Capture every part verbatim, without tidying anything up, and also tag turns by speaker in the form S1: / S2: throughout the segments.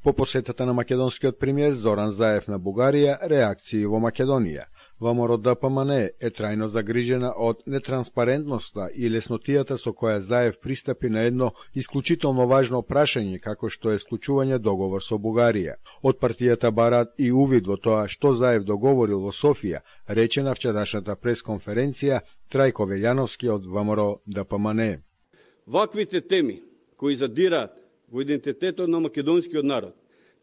S1: По посетата на македонскиот премиер Зоран Заев на Бугарија, реакции во Македонија. ВМРО Д П М Н е трајно загрижена од нетранспарентноста и леснотијата со која Заев пристапи на едно исклучително важно прашање како што е склучување договор со Бугарија. Од партијата бараат и увид во тоа што Заев договорил во Софија, рече на вчерашната пресконференција Трајко Велјановски од ВМРО Д П М Н.
S2: Ваквите теми кои задираат во идентитетот на македонскиот народ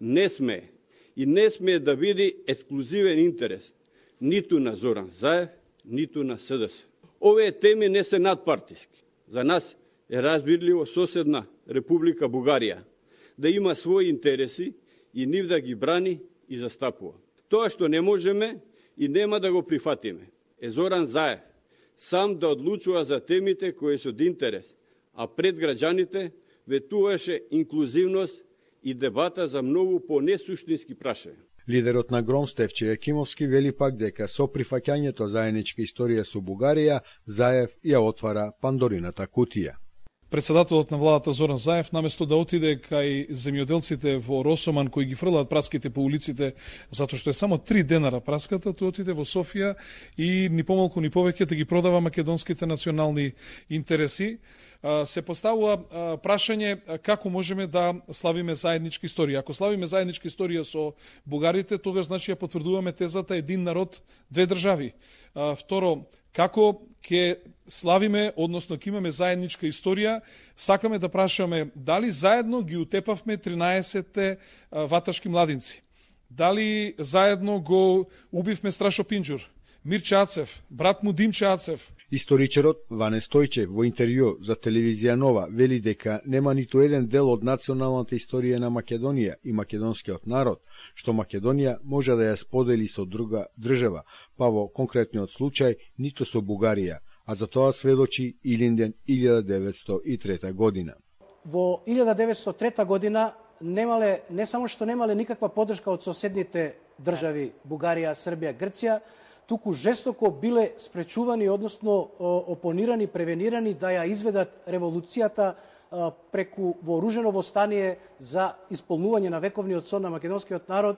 S2: не смее и не смее да биде ексклузивен интерес ниту на Зоран Заев, ниту на С Д С. Овие теми не се надпартиски. За нас е разбирливо соседна Република Бугарија да има своји интереси и нив да ги брани и застапува. Тоа што не можеме и нема да го прифатиме е Зоран Заев сам да одлучува за темите кои се од интерес, а пред граѓаните ветуваше инклузивност и дебата за многу по-несуштински прашања.
S1: Лидерот на Гром Стефче Јакимовски вели пак дека со прифаќањето заедничка историја со Бугарија, Заев ја отвара Пандорината кутија.
S3: Председателот на владата Зоран Заев, наместо да отиде кај земјоделците во Росоман кои ги фрлаат праските по улиците, затоа што е само три денара праската, тој отиде во Софија и ни помалку ни повеќе да ги продава македонските национални интереси. Се поставува прашање како можеме да славиме заедничка историја. Ако славиме заедничка историја со бугарите, тогаш значи ја потврдуваме тезата един народ, две држави. Второ, како ќе славиме, односно ќе имаме заедничка историја, сакаме да прашаме дали заедно ги утепавме тринаесетте ваташки младинци. Дали заедно го убивме Страшо Пинџур, Мирче Ацев, брат му Димче Ацев.
S1: Историчарот Ване Стојчев во интервју за телевизија Нова вели дека нема ниту еден дел од националната историја на Македонија и македонскиот народ, што Македонија може да ја сподели со друга држава, па во конкретниот случај ниту со Бугарија, а за тоа сведочи Илинден илјада деветстотини и трета година.
S4: Во илјада деветстотини и трета година немале, не само што немале никаква поддршка од соседните држави Бугарија, Србија, Грција, туку жестоко биле спречувани, односно опонирани, превенирани да ја изведат револуцијата преку вооружено востание за исполнување на вековниот сон на македонскиот народ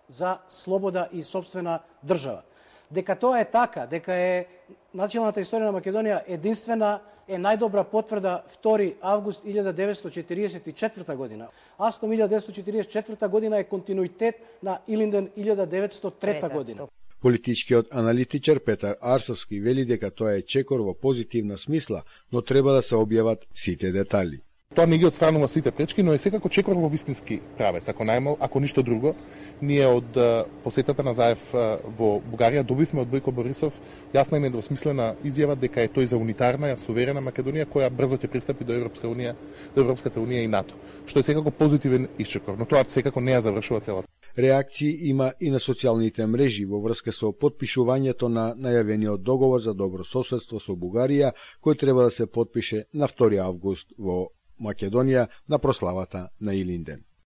S4: за слобода и сопствена држава. Дека тоа е така, дека е националната историја на Македонија единствена, е најдобра потврда втори август илјада деветстотини четиридесет и четврта година. Астом илјада деветстотини четиридесет и четврта година е континуитет на Илинден илјада деветстотини и трета година.
S1: Политичкиот аналитичар Петар Арсовски вели дека тоа е чекор во позитивна смисла, но треба да се објават сите детали.
S5: Тоа не ги отстранува сите пречки, но е секако чекор во вистински правец. Ако најмал, ако ништо друго, ние од посетата на Заев во Бугарија добивме од Бојко Борисов јасна и недвосмислена изјава дека е тој за унитарна, суверена Македонија која брзо ќе пристапи до Европска унија, до Европската унија и НАТО, што е секако позитивен исчекор, но тоа секако не ја завршува целата.
S1: Реакции има и на социјалните мрежи во врска со потпишувањето на најавениот договор за добро соседство со Бугарија, кој треба да се потпише на втори август во Македонија на прославата на Илинден.